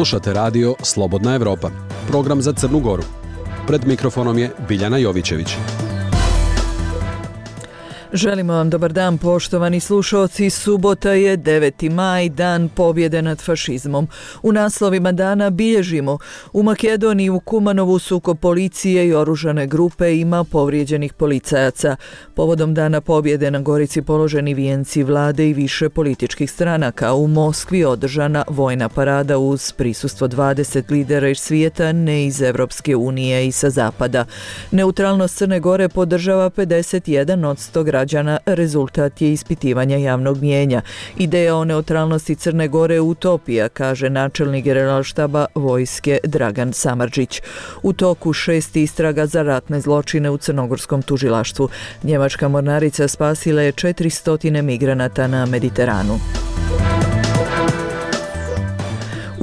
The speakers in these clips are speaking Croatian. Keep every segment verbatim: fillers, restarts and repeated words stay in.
Slušate radio Slobodna Evropa, program za Crnu Goru. Pred mikrofonom je Biljana Jovićević. Želimo vam dobar dan, poštovani slušalci. Subota je deveti maj, dan pobjede nad fašizmom. U naslovima dana bilježimo: u Makedoniji u Kumanovu sukob policije i oružane grupe, ima povrijeđenih policajaca. Povodom dana pobjede na Gorici položeni vijenci vlade i više političkih stranaka. U Moskvi održana vojna parada uz prisustvo dvadeset lidera iz svijeta, ne iz Evropske unije i sa zapada. Neutralnost Crne Gore podržava pedeset jedan posto građana. Rezultat je ispitivanja javnog mnijenja. Ideja o neutralnosti Crne Gore je utopija, kaže načelnik Generalštaba vojske Dragan Samardžić. U toku šest istraga za ratne zločine u crnogorskom tužilaštvu. Njemačka mornarica spasila je četiristo migranata na Mediteranu.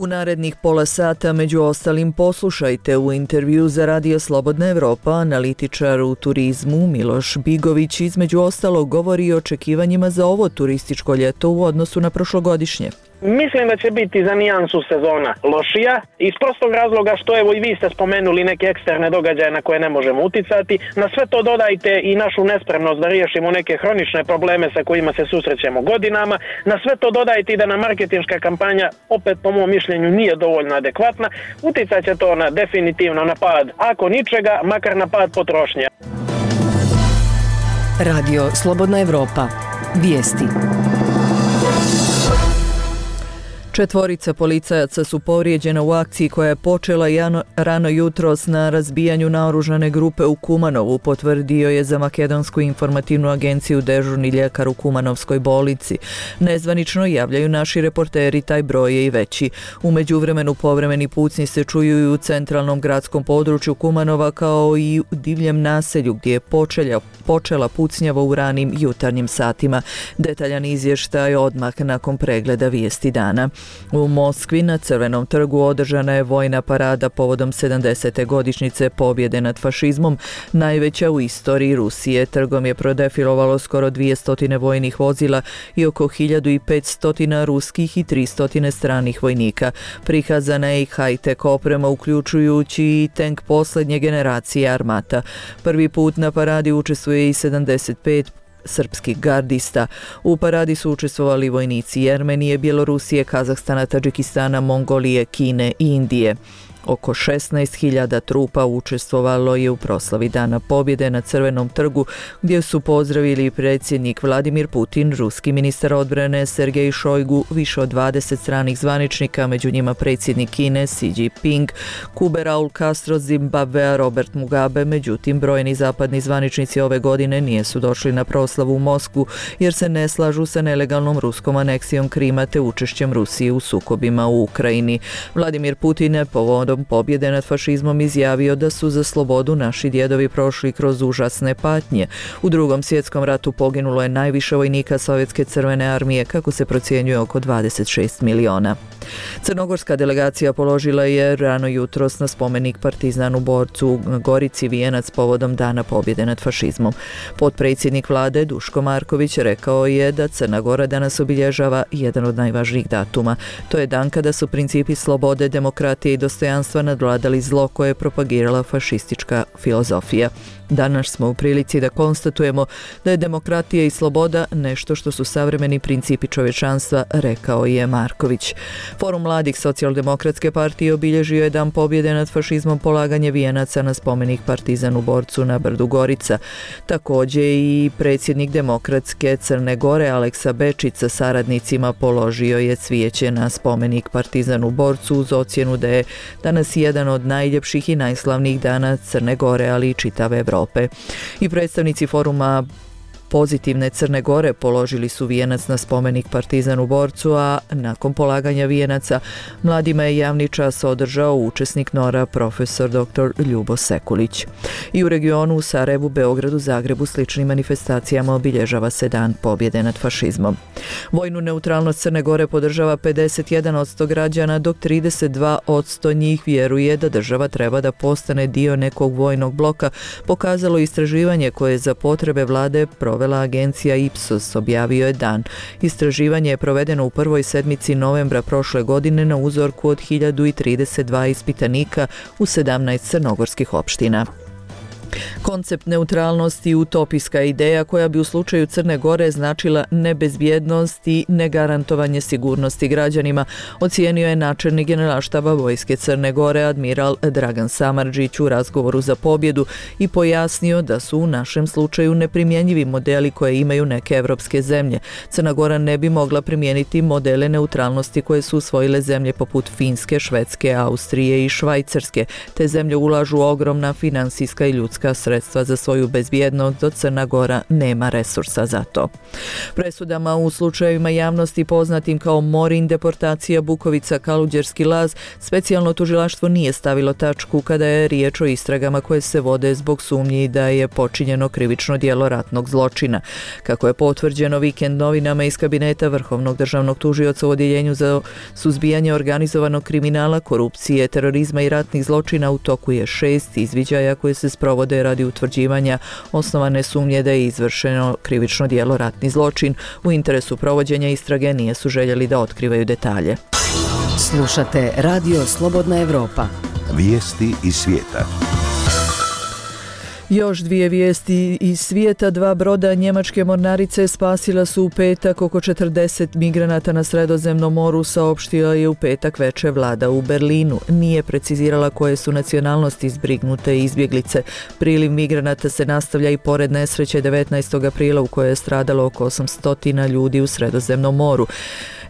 U narednih pola sata, među ostalim, poslušajte u intervju za Radio Slobodna Evropa analitičar u turizmu Miloš Bigović između ostalog govori o očekivanjima za ovo turističko ljeto u odnosu na prošlogodišnje. Mislim da će biti za nijansu sezona lošija, iz prostog razloga što evo i vi ste spomenuli neke eksterne događaje na koje ne možemo uticati. Na sve to dodajte i našu nespremnost da riješimo neke hronične probleme sa kojima se susrećemo godinama. Na sve to dodajte i da nam marketinška kampanja, opet po mom mišljenju, nije dovoljno adekvatna. Uticat će to na, definitivno na pad, ako ničega, makar na pad potrošnje. Radio Slobodna Evropa. Vijesti. Četvorica policajaca su povrijeđena u akciji koja je počela jano, rano jutros na razbijanju naoružane grupe u Kumanovu, potvrdio je za Makedonsku informativnu agenciju dežurni ljekar u Kumanovskoj bolnici. Nezvanično javljaju naši reporteri, taj broj je i veći. U međuvremenu povremeni pucnji se čuju i u centralnom gradskom području Kumanova, kao i u divljem naselju gdje je počela, počela pucnjava u ranim jutarnjim satima. Detaljan izvještaj odmah nakon pregleda vijesti dana. U Moskvi na Crvenom trgu održana je vojna parada povodom sedamdesete godišnjice pobjede nad fašizmom, najveća u istoriji Rusije. Trgom je prodefilovalo skoro dvjesto vojnih vozila i oko hiljadu petsto ruskih i tristo stranih vojnika. Prikazana je i high-tech oprema, uključujući i tank posljednje generacije Armata. Prvi put na paradi učestvuje i sedamdeset pet srpskih gardista. U paradi su učestvovali vojnici Jermenije, Bjelorusije, Kazahstana, Tadžikistana, Mongolije, Kine i Indije. Oko šesnaest hiljada trupa učestvovalo je u proslavi Dana pobjede na Crvenom trgu, gdje su pozdravili predsjednik Vladimir Putin, ruski ministar odbrane Sergej Šojgu, više od dvadeset stranih zvaničnika, među njima predsjednik Kine Xi Jinping, Kube Raul Castro, Zimbabvea Robert Mugabe. Međutim, brojni zapadni zvaničnici ove godine nisu došli na proslavu u Moskvu jer se ne slažu sa nelegalnom ruskom aneksijom Krima te učešćem Rusije u sukobima u Ukrajini. Vladimir Putin je povodom pobjede nad fašizmom izjavio da su za slobodu naši djedovi prošli kroz užasne patnje. U Drugom svjetskom ratu poginulo je najviše vojnika Sovjetske crvene armije, kako se procjenjuje oko dvadeset šest miliona. Crnogorska delegacija položila je rano jutros na spomenik partizanu borcu na Gorici vijenac povodom Dana pobjede nad fašizmom. Potpredsjednik vlade Duško Marković rekao je da Crna Gora danas obilježava jedan od najvažnijih datuma. To je dan kada su principi slobode, demokratije i dostojanstva nadvladali zlo koje je propagirala fašistička filozofija. Danas smo u prilici da konstatujemo da je demokratija i sloboda nešto što su savremeni principi čovječanstva, rekao je Marković. Forum mladih Socijaldemokratske partije obilježio je Dan pobjede nad fašizmom polaganje vijenaca na spomenik partizanu borcu na brdu Gorica. Također i predsjednik Demokratske Crne Gore Aleksa Bečić sa saradnicima položio je cvijeće na spomenik partizanu borcu uz ocjenu da je danas jedan od najljepših i najslavnijih dana Crne Gore, ali i čitave Evrope. I predstavnici foruma Pozitivne Crne Gore položili su vijenac na spomenik partizanu borcu, a nakon polaganja vijenaca mladima je javni čas održao učesnik Nora profesor doktor Ljubo Sekulić. I u regionu u Sarajevu, Beogradu, Zagrebu sličnim manifestacijama obilježava se Dan pobjede nad fašizmom. Vojnu neutralnost Crne Gore podržava pedeset jedan posto građana, dok trideset dva posto njih vjeruje da država treba da postane dio nekog vojnog bloka, pokazalo istraživanje koje je za potrebe vlade proveo sprovela agencija Ipsos, objavio je Dan. Istraživanje je provedeno u prvoj sedmici novembra prošle godine na uzorku od hiljadu trideset dva ispitanika u sedamnaest crnogorskih opština. Koncept neutralnosti utopijska ideja koja bi u slučaju Crne Gore značila nebezbjednost i negarantovanje sigurnosti građanima, ocijenio je načelnik Generalštaba vojske Crne Gore admiral Dragan Samardžić u razgovoru za pobjedu i pojasnio da su u našem slučaju neprimjenjivi modeli koje imaju neke evropske zemlje. Crna Gora ne bi mogla primijeniti modele neutralnosti koje su usvojile zemlje poput Finske, Švedske, Austrije i Švajcarske. Te zemlje ulažu ogromna finansijska i ljudska sredstva za svoju bezbjednost, dok Crna Gora nema resursa za to. Presudama u slučajevima javnosti poznatim kao Morin, deportacija, Bukovica, Kaluđerski laz, specijalno tužilaštvo nije stavilo tačku kada je riječ o istragama koje se vode zbog sumnji da je počinjeno krivično djelo ratnog zločina. Kako je potvrđeno Vikend novinama iz kabineta Vrhovnog državnog tužioca u Odjeljenju za suzbijanje organizovanog kriminala, korupcije, terorizma i ratnih zločina, u toku je šest izviđaja koje se sprovode radi utvrđivanja osnovane sumnje da je izvršeno krivično djelo ratni zločin. U interesu provođenja istrage nije su željeli da otkrivaju detalje. Slušate Radio Slobodna Evropa. Vijesti iz svijeta. Još dvije vijesti iz svijeta. Dva broda njemačke mornarice spasila su u petak oko četrdeset migranata na Sredozemnom moru, saopštila je u petak veče vlada u Berlinu. Nije precizirala koje su nacionalnosti izbrignute izbjeglice. Priliv migranata se nastavlja i pored nesreće devetnaestog aprila u kojoj je stradalo oko osamsto ljudi u Sredozemnom moru.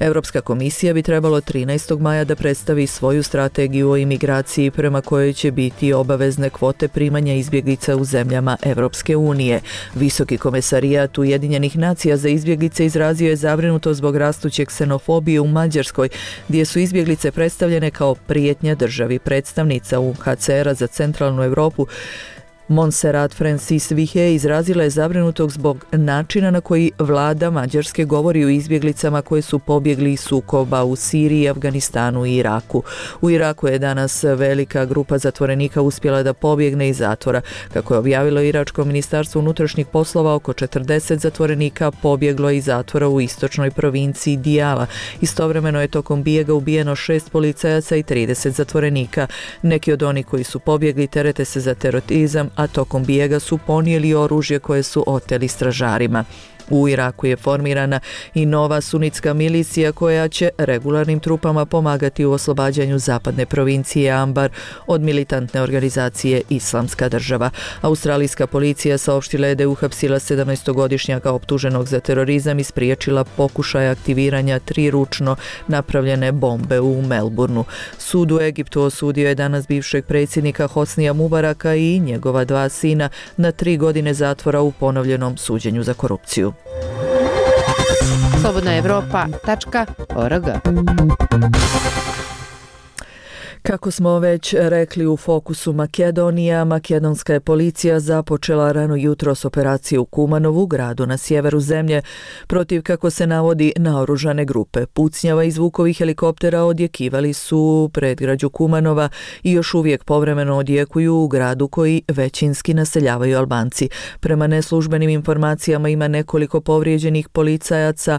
Europska komisija bi trebalo trinaestog maja da predstavi svoju strategiju o imigraciji prema kojoj će biti obavezne kvote primanja izbjeglica u zemljama Europske unije. Visoki komesarijat Ujedinjenih nacija za izbjeglice izrazio je zabrinutost zbog rastuće ksenofobije u Mađarskoj, gdje su izbjeglice predstavljene kao prijetnja državi. Predstavnica U N H C R-a za centralnu Europu Montserrat Francis Vihe izrazila je zabrinutost zbog načina na koji vlada Mađarske govori o izbjeglicama koje su pobjegli iz sukoba u Siriji, Afganistanu i Iraku. U Iraku je danas velika grupa zatvorenika uspjela da pobjegne iz zatvora. Kako je objavilo Iračko ministarstvo unutrašnjih poslova, oko četrdeset zatvorenika pobjeglo iz zatvora u istočnoj provinciji Dijala. Istovremeno je tokom bijega ubijeno šest policajaca i trideset zatvorenika. Neki od onih koji su pobjegli terete se za terorizam, a tokom bijega su ponijeli oružje koje su oteli stražarima. U Iraku je formirana i nova sunitska milicija koja će regularnim trupama pomagati u oslobađanju zapadne provincije Ambar od militantne organizacije Islamska država. Australijska policija saopštila je da je uhapsila sedamnaestogodišnjaka optuženog za terorizam i spriječila pokušaj aktiviranja tri ručno napravljene bombe u Melbourneu. Sud u Egiptu osudio je danas bivšeg predsjednika Hosnija Mubaraka i njegova dva sina na tri godine zatvora u ponovljenom suđenju za korupciju. slobodna evropa tačka org. Kako smo već rekli, u fokusu Makedonija, makedonska je policija započela rano jutros operaciju u Kumanovu, gradu na sjeveru zemlje, protiv, kako se navodi, naoružane grupe. Pucnjava i zvukovi helikoptera odjekivali su u predgrađu Kumanova i još uvijek povremeno odjekuju u gradu koji većinski naseljavaju Albanci. Prema neslužbenim informacijama ima nekoliko povrijeđenih policajaca,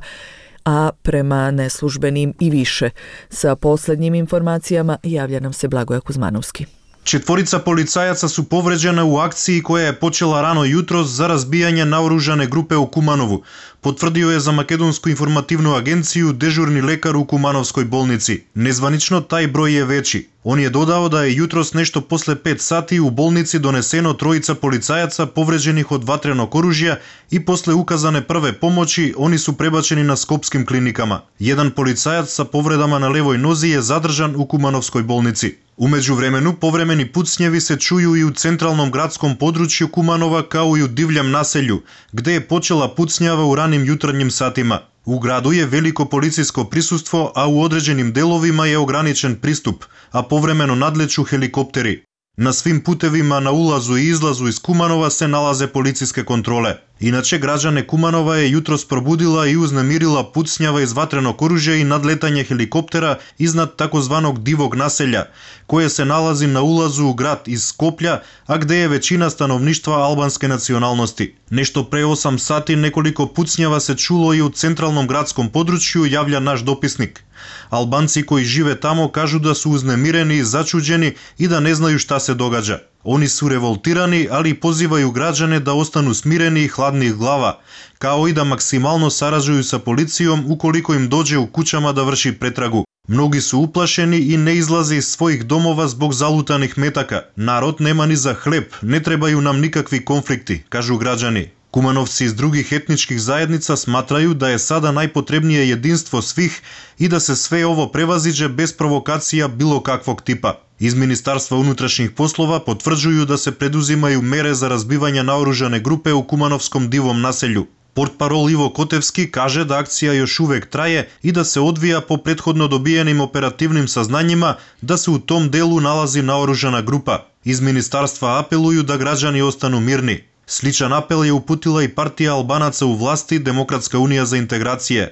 a prema neslužbenim i više. Sa posljednjim informacijama javlja nam se Blagoja Kuzmanovski. Четворица полицајаца су повреđena u akciji koja je počela rano jutros za razbijanje naoružane grupe u Kumanovu, potvrdio je za Makedonsku informativnu agenciju dežurni lekar u Kumanovskoj bolnici. Nezvanično taj broj je veći. On je dodao da je jutros nešto posle pet sati u bolnici doneseno trojica policajaca povređenih od vatrenog oružja i posle ukazane prve pomoći oni su prebačeni na skopskim klinikama. Jedan policajac sa povredama na levoj nozi je zadržan u Kumanovskoj bolnici. U međuvremenu povremeni pucnjevi se čuju i u centralnom gradskom području Kumanova kao i u divljem naselju, gde je počela pucnjava u ranim jutarnjim satima. U gradu je veliko policijsko prisustvo, a u određenim delovima je ograničen pristup, a povremeno nadleću helikopteri. Na svim putevima na ulazu i izlazu iz Kumanova se nalaze policijske kontrole. Иначе граѓане Куманова е јутрос пробудила и узнемирила пуцњава из ватрено оружје и надлетање хеликоптера изнад такозваног дивог населја, кое се налази на улазу у град из Скопја, а где е веćина становништва албанске националности. Нешто пре осам сати неколико пуцњава се чуло и у централном градском подручју, јавља наш дописник. Албанци кои живе тамо кажу да су узнемирени и зачуđени и да не знају шта се догаѓа. Они су револтирани, али позивају граѓане да остану смирени и хладни глава, као и да максимално саражују са полицијом уколико им доđe у куќама да врши претрагу. Многи су уплашени и не излазе из својих домова због залутаних метака. Народ нема ни за хлеб, не требају нам никакви конфликти, кажу граѓани. Кумановци из других етничких заедница сматрају да е сада најпотребнije единство свих и да се све ово превазиđe без провокација било каквог типа. Из Министарства унутрашних послова потврđuju да се предузимају мере за разбивање наоружане групе у Кумановском дивом населју. Портпарол Иво Котевски каже да акција још увек трае и да се одвија по претходно добиеним оперативним сазнањима да се у том делу налази наоружана група. Из Министарства апелују да граѓани остану мирни. Сличен апел ја упутила и партија Албанаца у власти Демократска унија за интеграција.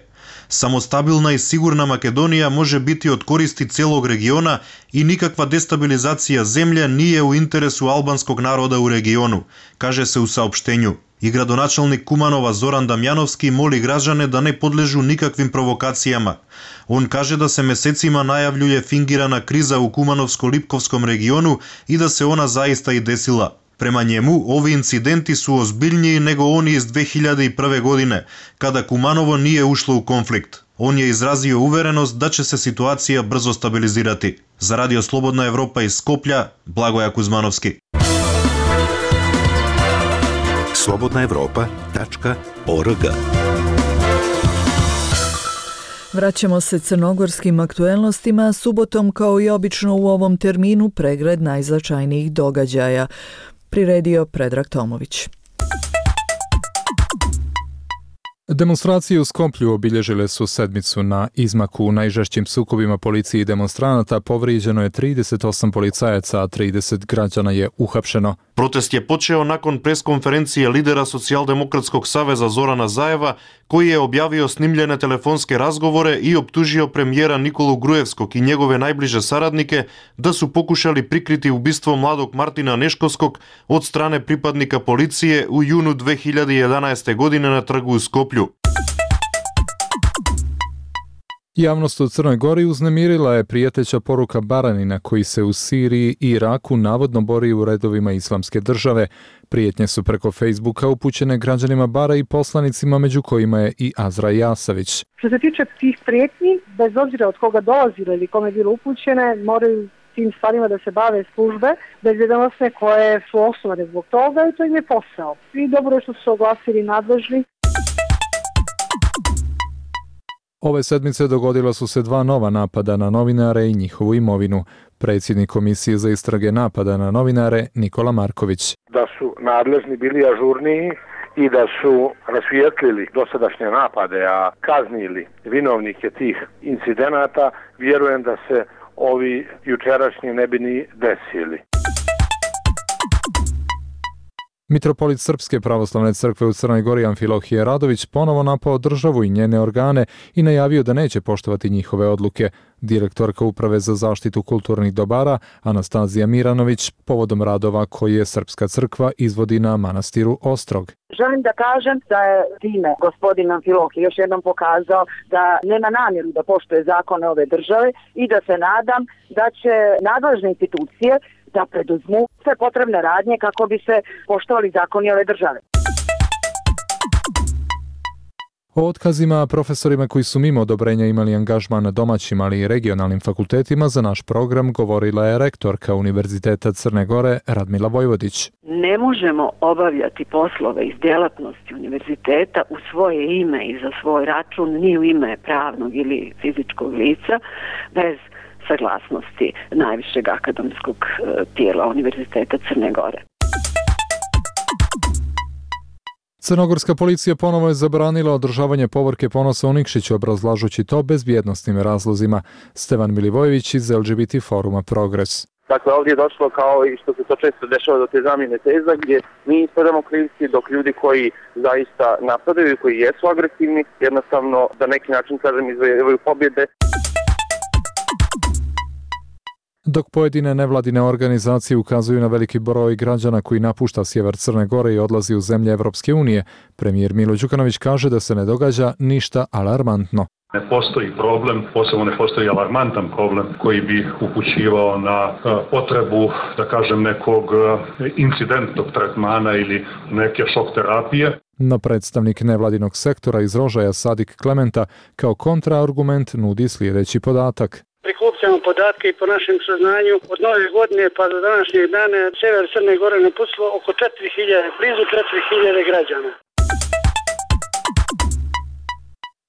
Самостабилна и сигурна Македонија може бити од користи целог региона и никаква дестабилизација земја nije у интересу албанског народа у региону, каже се у саопштењу. И градоначалник Куманова Зоран Дамјановски моли граѓане да не подлежу никаквим провокацијама. Он каже да се месецима најављује фингирана криза у Кумановско-Липковском региону и да се она заиста и десила. Према njemu, ovi incidenti su ozbiljniji nego oni iz две хиљаде и прве godine, kada Kumanovo nije ušlo u konflikt. On je izrazio uverenost da će se situacija brzo stabilizirati. Za Radio Slobodna Evropa iz Skoplja, Blagoja Kuzmanovski. slobodna evropa tačka org. Vraćamo se crnogorskim aktuelnostima, subotom kao i obično u ovom terminu pregled najznačajnijih događaja. Priredio Predrag Tomović. Demonstracije u Skoplju obilježile su sedmicu. Na izmaku u najžešćim sukobima policiji i demonstranata povrijeđeno je trideset osam policajaca, a trideset građana je uhapšeno. Протест je počeo nakon прес-конференcije lidera Социјалдемократскog saveza Зорана Заева, koji je objavio snimljene telefonske razgovore i optužio premijera Nikolu Gruevskog i njegove najbliže saradnike da su pokušali prikriti ubistvo mladog Martina Neškovskog od strane pripadnika policije u junu две хиљаде и еданаесте. godine na trgu u Skoplju. Javnost u Crnoj Gori uznemirila je prijeteća poruka Baranina koji se u Siriji i Iraku navodno bori u redovima islamske države. Prijetnje su preko Facebooka upućene građanima Bara i poslanicima, među kojima je i Azra Jasavić. Što se tiče tih prijetnji, bez obzira od koga dolazile ili kome bilo upućene, moraju tim stvarima da se bave službe bezbjednosne koje su osnovane zbog toga i to im je posao. I dobro je što su se oglasili nadležni. Ove sedmice dogodila su se dva nova napada na novinare i njihovu imovinu. Predsjednik Komisije za istrage napada na novinare Nikola Marković. Da su nadležni bili ažurniji i da su rasvijetlili dosadašnje napade, a kaznili vinovnike tih incidenata, vjerujem da se ovi jučerašnji ne bi ni desili. Mitropolit Srpske pravoslavne crkve u Crnoj Gori Amfilohije Radović ponovo napao državu i njene organe i najavio da neće poštovati njihove odluke. Direktorka Uprave za zaštitu kulturnih dobara Anastazija Miranović povodom radova koje Srpska crkva izvodi na manastiru Ostrog. Želim da kažem da je time gospodin Amfilohije još jednom pokazao da nema namjeru da poštuje zakone ove države i da se nadam da će nadležne institucije da preduzmu sve potrebne radnje kako bi se poštovali zakoni ove države. O otkazima profesorima koji su mimo odobrenja imali angažman na domaćim, ali i regionalnim fakultetima za naš program govorila je rektorka Univerziteta Crne Gore Radmila Vojvodić. Ne možemo obavljati poslove iz djelatnosti univerziteta u svoje ime i za svoj račun, ni u ime pravnog ili fizičkog lica, bez saglasnosti najvišeg akademskog tijela Univerziteta Crne Gore. Crnogorska policija ponovo je zabranila održavanje povorke ponosa u Nikšiću, obrazlažući to bezbjednosnim razlozima. Stevan Milivojević iz L G B T foruma Progres. Dakle, ovdje je došlo kao i što se to često dešava do te zamjene teza gdje mi ispadamo krivci dok ljudi koji zaista napadaju i koji jesu agresivni jednostavno da neki način kažem izvojevaju pobjede. Dok pojedine nevladine organizacije ukazuju na veliki broj građana koji napušta sjever Crne Gore i odlazi u zemlje Evropske unije, premijer Milo Đukanović kaže da se ne događa ništa alarmantno. Ne postoji problem, posebno ne postoji alarmantan problem koji bi upućivao na potrebu, da kažem, nekog incidentnog tretmana ili neke šok terapije. No predstavnik nevladinog sektora iz Rožaja Sadik Klementa kao kontraargument nudi sljedeći podatak. Prikupljamo podatke i po našem saznanju od nove godine pa do današnjeg dana sever Crne Gore napustilo oko četiri hiljade, blizu četiri hiljade građana.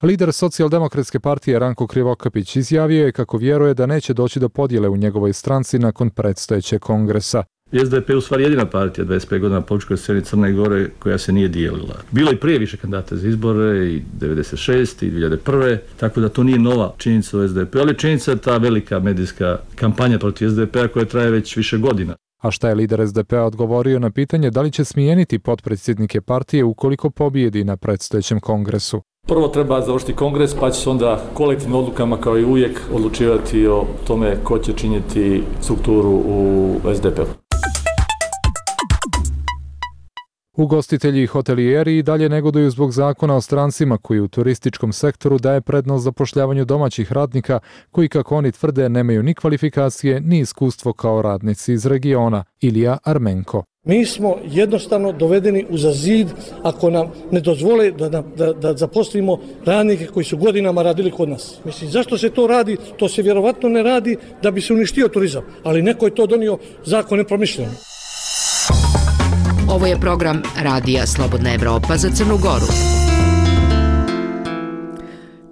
Lider Socijaldemokratske partije Ranko Krivokapić izjavio je kako vjeruje da neće doći do podjele u njegovoj stranci nakon predstojećeg kongresa. S D P je u stvari jedina partija dvadeset pet godina na političkoj sceni Crne Gore koja se nije dijelila. Bilo i prije više kandidata za izbore i devedeset šeste i dvije hiljade prve. Tako da to nije nova činjenica u S D P, ali činjenica je ta velika medijska kampanja protiv S D P-a koja traje već više godina. A šta je lider S D P-a odgovorio na pitanje da li će smijeniti potpredsjednike partije ukoliko pobijedi na predstojećem kongresu? Prvo treba završiti kongres, pa će se onda kolektivnim odlukama kao i uvijek odlučivati o tome ko će činiti strukturu u S D P-u. Ugostitelji i hotelijeri i dalje negoduju zbog zakona o strancima koji u turističkom sektoru daje prednost zapošljavanju domaćih radnika koji, kako oni tvrde, nemaju ni kvalifikacije ni iskustvo kao radnici iz regiona. Ilija Armenko. Mi smo jednostavno dovedeni uza zid ako nam ne dozvole da, da, da zaposlimo radnike koji su godinama radili kod nas. Mislim, zašto se to radi? To se vjerovatno ne radi da bi se uništio turizam, ali neko je to donio zakon nepromišljeno. Ovo je program Radija Slobodna Evropa za Crnu Goru.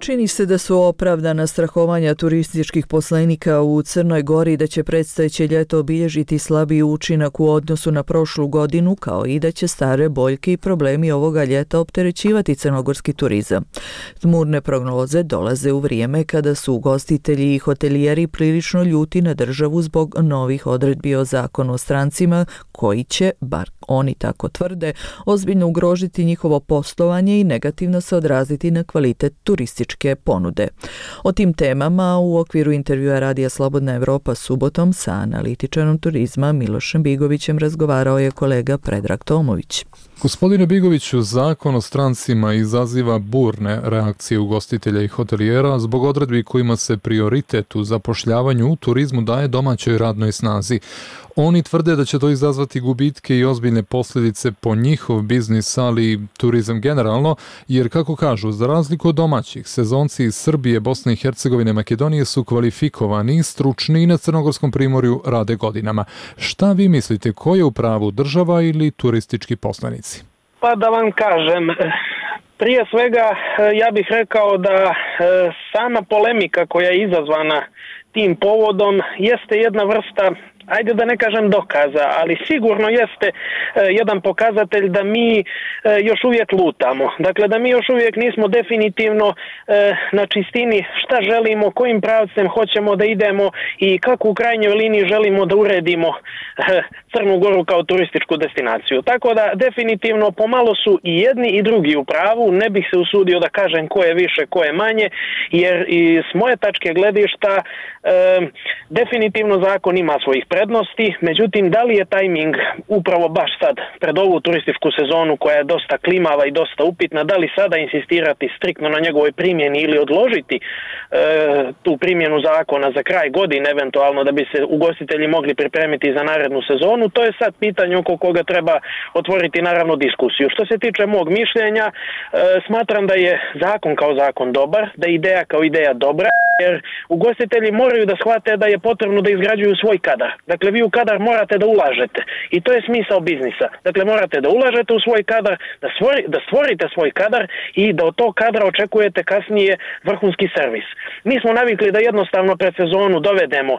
Čini se da su opravdana strahovanja turističkih poslenika u Crnoj Gori da će predstojeće ljeto obilježiti slabiji učinak u odnosu na prošlu godinu, kao i da će stare boljke i problemi ovoga ljeta opterećivati crnogorski turizam. Tmurne prognoze dolaze u vrijeme kada su ugostitelji i hotelijeri prilično ljuti na državu zbog novih odredbi o zakonu o strancima koji će, bar oni tako tvrde, ozbiljno ugrožiti njihovo poslovanje i negativno se odraziti na kvalitet turističke ponude. O tim temama u okviru intervjua Radija Slobodna Evropa subotom sa analitičarom turizma Milošem Bigovićem razgovarao je kolega Predrag Tomović. Gospodine Bigoviću, zakon o strancima izaziva burne reakcije ugostitelja i hotelijera zbog odredbi kojima se prioritet u zapošljavanju u turizmu daje domaćoj radnoj snazi. Oni tvrde da će to izazvati gubitke i ozbiljne posljedice po njihov biznis, ali i turizam generalno, jer kako kažu, za razliku od domaćih, sezonci iz Srbije, Bosne i Hercegovine, Makedonije su kvalifikovani, stručni i na Crnogorskom primorju rade godinama. Šta vi mislite, ko je u pravu, država ili turistički poslanici? Pa da vam kažem, prije svega ja bih rekao da sama polemika koja je izazvana tim povodom jeste jedna vrsta, ajde da ne kažem dokaza, ali sigurno jeste e, jedan pokazatelj da mi e, još uvijek lutamo. Dakle, da mi još uvijek nismo definitivno e, na čistini šta želimo, kojim pravcem hoćemo da idemo i kako u krajnjoj liniji želimo da uredimo e, Crnu Goru kao turističku destinaciju. Tako da definitivno pomalo su i jedni i drugi u pravu, ne bih se usudio da kažem ko je više, ko je manje, jer i s moje tačke gledišta e, definitivno zakon ima svojih prednosti, međutim da li je tajming upravo baš sad pred ovu turističku sezonu koja je dosta klimava i dosta upitna, da li sada insistirati striktno na njegovoj primjeni ili odložiti e, tu primjenu zakona za kraj godine eventualno da bi se ugostitelji mogli pripremiti za narednu sezonu, to je sad pitanje oko koga treba otvoriti naravno diskusiju. Što se tiče mog mišljenja, e, smatram da je zakon kao zakon dobar, da je ideja kao ideja dobra, jer ugostitelji moraju da shvate da je potrebno da izgrađuju svoj kadar. Dakle, vi u kadar morate da ulažete i to je smisao biznisa. Dakle, morate da ulažete u svoj kadar, da, stvori, da stvorite svoj kadar i da od tog kadra očekujete kasnije vrhunski servis. Mi smo navikli da jednostavno pred sezonu dovedemo e,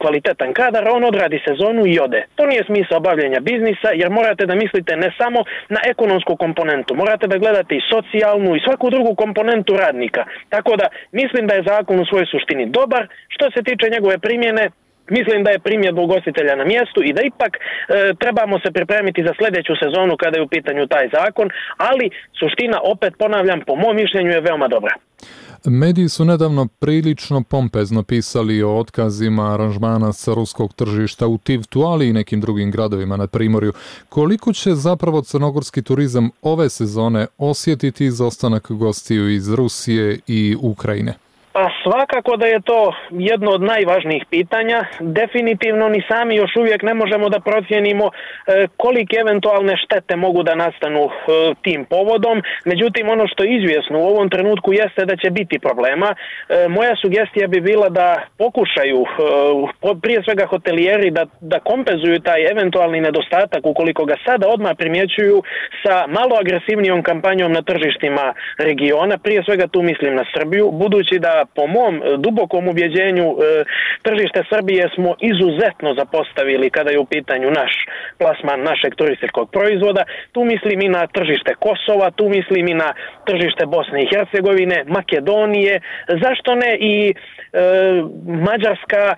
kvalitetan kadar, on odradi sezonu i ode. To nije smisao bavljenja biznisa, jer morate da mislite ne samo na ekonomsku komponentu, morate da gledate i socijalnu i svaku drugu komponentu radnika. Tako da mislim da je zakon u svojoj suštini dobar. Što se tiče njegove primjene, Mislim da je primjedba ugostitelja na mjestu i da ipak e, trebamo se pripremiti za sljedeću sezonu kada je u pitanju taj zakon, ali suština, opet ponavljam, po mom mišljenju je veoma dobra. Mediji su nedavno prilično pompezno pisali o otkazima aranžmana sa ruskog tržišta u Tivtu, ali i nekim drugim gradovima na Primorju. Koliko će zapravo crnogorski turizam ove sezone osjetiti izostanak gostiju iz Rusije i Ukrajine? Pa svakako da je to jedno od najvažnijih pitanja. Definitivno ni sami još uvijek ne možemo da procijenimo e, kolike eventualne štete mogu da nastanu e, tim povodom. Međutim, ono što je izvjesno u ovom trenutku jeste da će biti problema. E, moja sugestija bi bila da pokušaju e, prije svega hotelijeri da, da kompenzuju taj eventualni nedostatak ukoliko ga sada odmah primjećuju sa malo agresivnijom kampanjom na tržištima regiona. Prije svega tu mislim na Srbiju, budući da po mom dubokom ubjeđenju tržište Srbije smo izuzetno zapostavili kada je u pitanju naš plasman našeg turističkog proizvoda. Tu mislim i na tržište Kosova, tu mislim i na tržište Bosne i Hercegovine, Makedonije, zašto ne i e, Mađarska, e,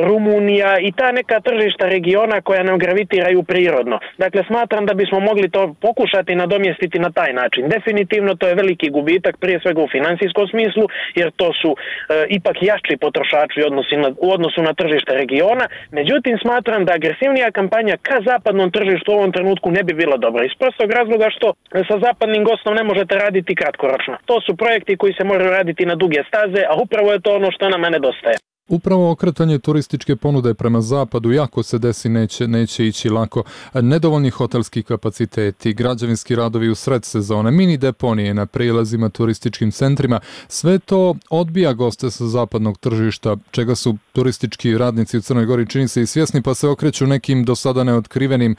Rumunija i ta neka tržišta regiona koja nam gravitiraju prirodno. Dakle, smatram da bismo mogli to pokušati nadomjestiti na taj način. Definitivno to je veliki gubitak, prije svega u financijskom smislu, jer to su e, ipak jači potrošači u odnosu, na, u odnosu na tržište regiona. Međutim, smatram da agresivnija kampanja ka zapadnom tržištu u ovom trenutku ne bi bila dobra. Iz prostog razloga što sa zapadnim gostom ne možete raditi kratkoročno. To su projekti koji se moraju raditi na duge staze, a upravo je to ono što nama nedostaje. Upravo okretanje turističke ponude prema zapadu, jako se desi, neće, neće ići lako. Nedovoljni hotelski kapaciteti, građevinski radovi u sred sezone, mini deponije na prijelazima turističkim centrima, sve to odbija goste sa zapadnog tržišta, čega su turistički radnici u Crnoj Gori čini se i svjesni, pa se okreću nekim do sada neotkrivenim,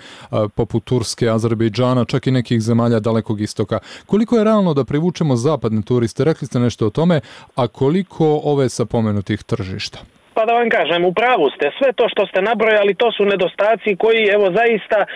poput Turske, Azerbejdžana, čak i nekih zemalja Dalekog istoka. Koliko je realno da privučemo zapadne turiste? Rekli ste nešto o tome, a koliko ove sa pomenutih tržišta? Pa da vam kažem, u pravu ste. Sve to što ste nabrojali, to su nedostaci koji, evo, zaista e,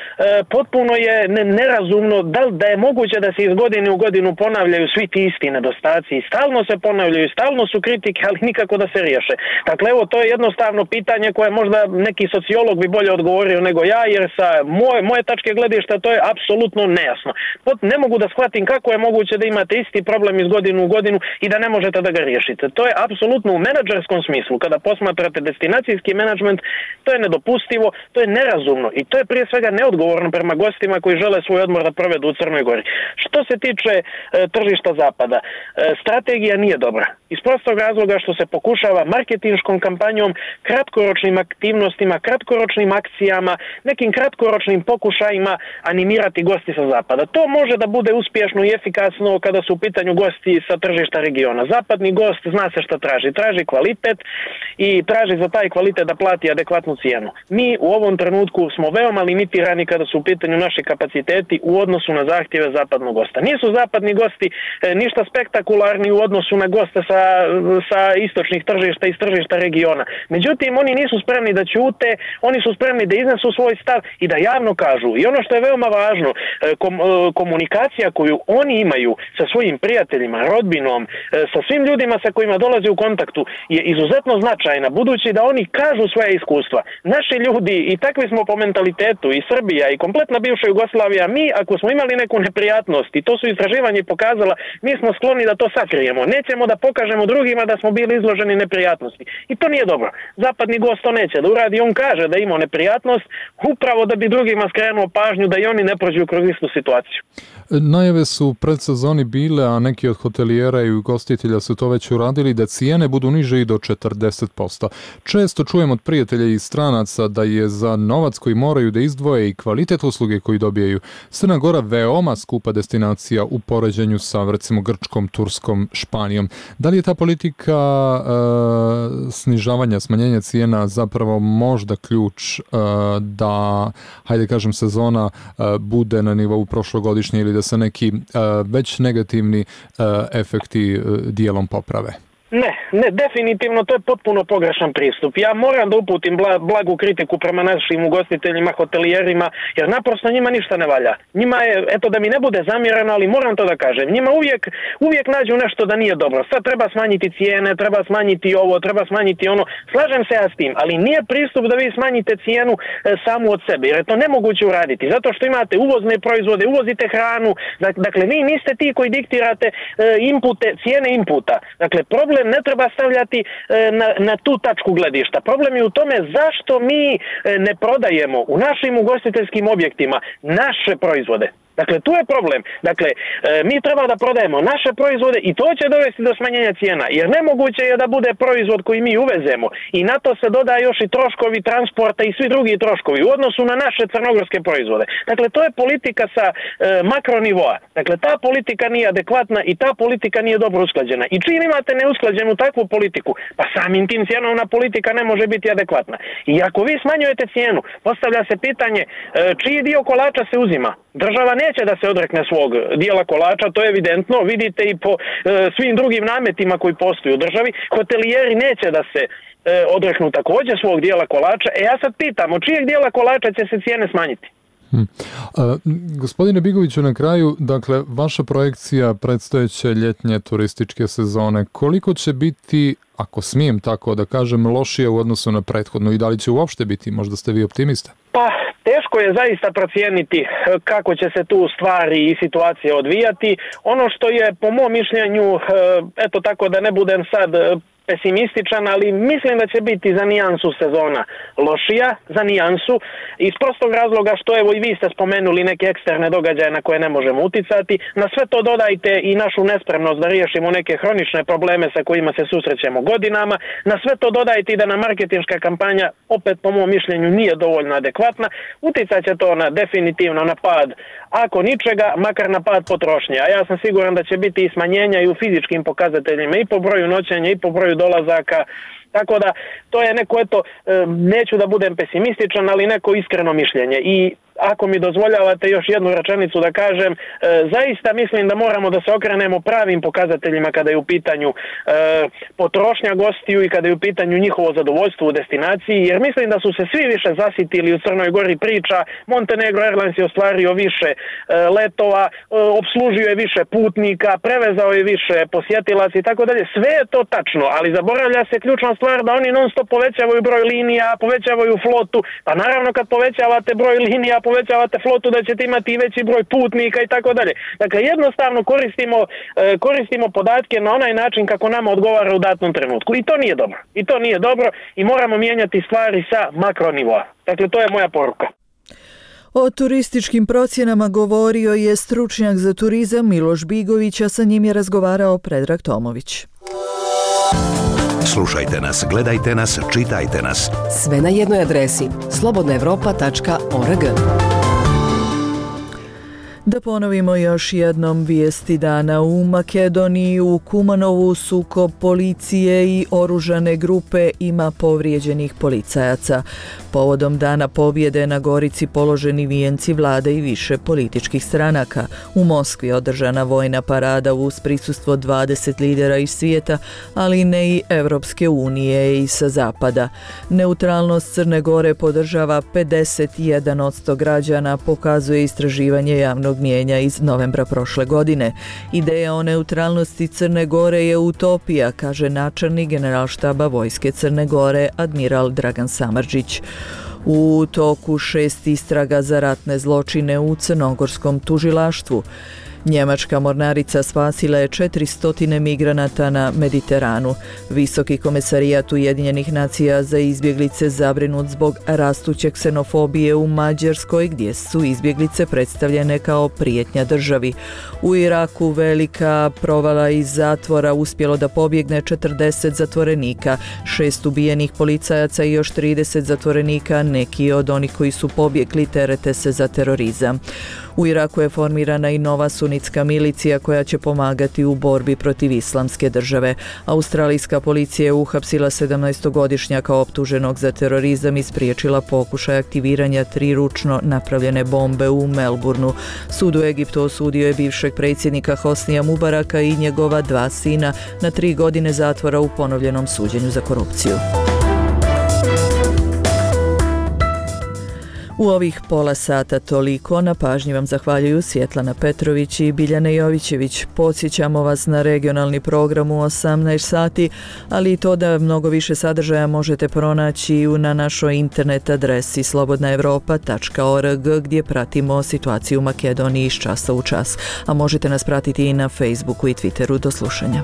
potpuno je nerazumno da, da je moguće da se iz godine u godinu ponavljaju svi ti isti nedostaci i stalno se ponavljaju, stalno su kritike, ali nikako da se riješe. Dakle, evo, to je jednostavno pitanje koje možda neki sociolog bi bolje odgovorio nego ja, jer sa moje, moje tačke gledišta to je apsolutno nejasno. Pot, ne mogu da shvatim kako je moguće da imate isti problem iz godinu u godinu i da ne možete da ga riješite. To je apsolutno u menadžerskom smislu, kada posmatrate Smatrate destinacijski menadžment, to je nedopustivo, to je nerazumno i to je prije svega neodgovorno prema gostima koji žele svoj odmor da provedu u Crnoj Gori. Što se tiče e, tržišta zapada, e, strategija nije dobra. Iz prostog razloga što se pokušava marketinškom kampanjom, kratkoročnim aktivnostima, kratkoročnim akcijama, nekim kratkoročnim pokušajima animirati gosti sa zapada. To može da bude uspješno i efikasno kada su u pitanju gosti sa tržišta regiona. Zapadni gost zna se šta traži. Traži kvalitet i traži za taj kvalitet da plati adekvatnu cijenu. Mi u ovom trenutku smo veoma limitirani kada su u pitanju naši kapaciteti u odnosu na zahtjeve zapadnog gosta. Nisu zapadni gosti e, ništa spektakularni u odnosu na goste sa, sa istočnih tržišta i tržišta regiona. Međutim, oni nisu spremni da ćute, oni su spremni da iznesu svoj stav i da javno kažu. I ono što je veoma važno, e, kom, e, komunikacija koju oni imaju sa svojim prijateljima, rodbinom, e, sa svim ljudima sa kojima dolaze u kontaktu je izuzetno značajna, budući da oni kažu svoje iskustva. Naši ljudi, i takvi smo po mentalitetu, i Srbija, i kompletna bivša Jugoslavija, mi ako smo imali neku neprijatnost, i to su istraživanje pokazala, mi smo skloni da to sakrijemo. Nećemo da pokažemo drugima da smo bili izloženi neprijatnosti. I to nije dobro. Zapadni gost to neće da uradi, on kaže da ima neprijatnost, upravo da bi drugima skrenuo pažnju da i oni ne prođu kroz istu situaciju. Najave su u predsezoni bile, a neki od hotelijera i ugostitelja su to već uradili, da cijene budu niže i do četrdeset posto. Često čujem od prijatelja i stranaca da je za novac koji moraju da izdvoje i kvalitet usluge koji dobijaju Crna Gora veoma skupa destinacija u poređenju sa, recimo, Grčkom, Turskom, Španijom. Da li je ta politika e, snižavanja, smanjenja cijena zapravo možda ključ e, da, hajde kažem, sezona e, bude na nivou prošlogodišnje ili da se neki e, već negativni e, efekti e, dijelom poprave? Ne, ne, definitivno to je potpuno pogrešan pristup. Ja moram da uputim bla, blagu kritiku prema našim ugostiteljima, hotelijerima, jer naprosto njima ništa ne valja. Njima je, eto da mi ne bude zamjereno, ali moram to da kažem, njima uvijek, uvijek nađu nešto da nije dobro. Sad treba smanjiti cijene, treba smanjiti ovo, treba smanjiti ono. Slažem se ja s tim, ali nije pristup da vi smanjite cijenu e, samu od sebe, jer je to nemoguće uraditi. Zato što imate uvozne proizvode, uvozite hranu, dakle vi niste ti koji diktirate e, inpute, cijene inputa. Dakle, problem ne treba stavljati na, na tu tačku gledišta. Problem je u tome zašto mi ne prodajemo u našim ugostiteljskim objektima naše proizvode. Dakle, tu je problem. Dakle, mi treba da prodajemo naše proizvode i to će dovesti do smanjenja cijena, jer nemoguće je da bude proizvod koji mi uvezemo i na to se doda još i troškovi transporta i svi drugi troškovi u odnosu na naše crnogorske proizvode. Dakle, to je politika sa e, makronivoa. Dakle, ta politika nije adekvatna i ta politika nije dobro usklađena. I čim imate neusklađenu takvu politiku, pa samim tim cjenovna politika ne može biti adekvatna. I ako vi smanjujete cijenu, postavlja se pitanje e, čiji dio kolača se uzima. Država neće da se odrekne svog dijela kolača, to je evidentno, vidite i po e, svim drugim nametima koji postoji u državi. Hotelijeri neće da se e, odreknu također svog dijela kolača. E ja sad pitam, od čijeg dijela kolača će se cijene smanjiti? Hmm. A, gospodine Bigoviću, na kraju, dakle, vaša projekcija predstojeće ljetnje turističke sezone, koliko će biti, ako smijem tako da kažem, lošije u odnosu na prethodnu i da li će uopšte biti, možda ste vi optimista? Pa, teško je zaista procijeniti kako će se tu stvari i situacije odvijati. Ono što je po mom mišljenju, eto tako da ne budem sad pesimističan, ali mislim da će biti za nijansu sezona lošija, za nijansu, iz prostog razloga što evo i vi ste spomenuli neke eksterne događaje na koje ne možemo uticati. Na sve to dodajte i našu nespremnost da riješimo neke hronične probleme sa kojima se susrećemo godinama. Na sve to dodajte i da nam marketinška kampanja, opet po mom mišljenju, nije dovoljno adekvatna. Uticat će to na, definitivno na pad, ako ničega, makar na pad potrošnje. A ja sam siguran da će biti i smanjenja i u fizičkim pokazateljima, i po broju noćenja, i po broju dolazaka, tako da to je neko, eto, neću da budem pesimističan, ali neko iskreno mišljenje. I ako mi dozvoljavate još jednu rečenicu da kažem, e, zaista mislim da moramo da se okrenemo pravim pokazateljima kada je u pitanju e, potrošnja gostiju i kada je u pitanju njihovo zadovoljstvo u destinaciji, jer mislim da su se svi više zasitili u Crnoj Gori priča, Montenegro Airlines je ostvario više e, letova, e, obslužio je više putnika, prevezao je više posjetilaca i tako dalje. Sve je to tačno, ali zaboravlja se ključna stvar da oni non stop povećavaju broj linija, povećavaju flotu, pa naravno kad povećavate broj linija, povećavate flotu da ćete imati i veći broj putnika i tako dalje. Dakle, jednostavno koristimo, koristimo podatke na onaj način kako nama odgovara u datnom trenutku. I to nije dobro. I to nije dobro i moramo mijenjati stvari sa makronivoa. Dakle, to je moja poruka. O turističkim procjenama govorio je stručnjak za turizam Miloš Bigović, a sa njim je razgovarao Predrag Tomović. Slušajte nas, gledajte nas, čitajte nas. Sve na jednoj adresi slobodna evropa tačka org. Da ponovimo još jednom vijesti dana. U Makedoniji, u Kumanovu, sukob policije i oružane grupe, ima povrijeđenih policajaca. Povodom dana pobjede na Gorici položeni vijenci vlade i više političkih stranaka. U Moskvi održana vojna parada uz prisustvo dvadeset lidera iz svijeta, ali ne i Evropske unije i sa zapada. Neutralnost Crne Gore podržava pedeset jedan posto građana, pokazuje istraživanje javnog mnijenja iz novembra prošle godine. Ideja o neutralnosti Crne Gore je utopija, kaže načelnik Generalštaba Vojske Crne Gore, admiral Dragan Samardžić. U toku šest istraga za ratne zločine u crnogorskom tužilaštvu. Njemačka mornarica spasila je četiristo migranata na Mediteranu. Visoki komesarijat Ujedinjenih nacija za izbjeglice zabrinut zbog rastuće ksenofobije u Mađarskoj, gdje su izbjeglice predstavljene kao prijetnja državi. U Iraku velika provala iz zatvora uspjelo da pobjegne četrdeset zatvorenika, šest ubijenih policajaca i još trideset zatvorenika, neki od onih koji su pobjegli terete se za terorizam. U Iraku je formirana i nova sunnička sunitska milicija koja će pomagati u borbi protiv islamske države. Australijska policija je uhapsila sedamnaestogodišnjaka optuženog za terorizam i spriječila pokušaj aktiviranja tri ručno napravljene bombe u Melbourneu. Sud u Egiptu osudio je bivšeg predsjednika Hosnija Mubaraka i njegova dva sina na tri godine zatvora u ponovljenom suđenju za korupciju. U ovih pola sata toliko. Na pažnji vam zahvaljuju Svjetlana Petrović i Biljana Jovićević. Podsjećamo vas na regionalni program u osamnaest sati, ali i to da mnogo više sadržaja možete pronaći na našoj internet adresi slobodna evropa tačka org gdje pratimo situaciju u Makedoniji iz časa u čas. A možete nas pratiti i na Facebooku i Twitteru. Do slušanja.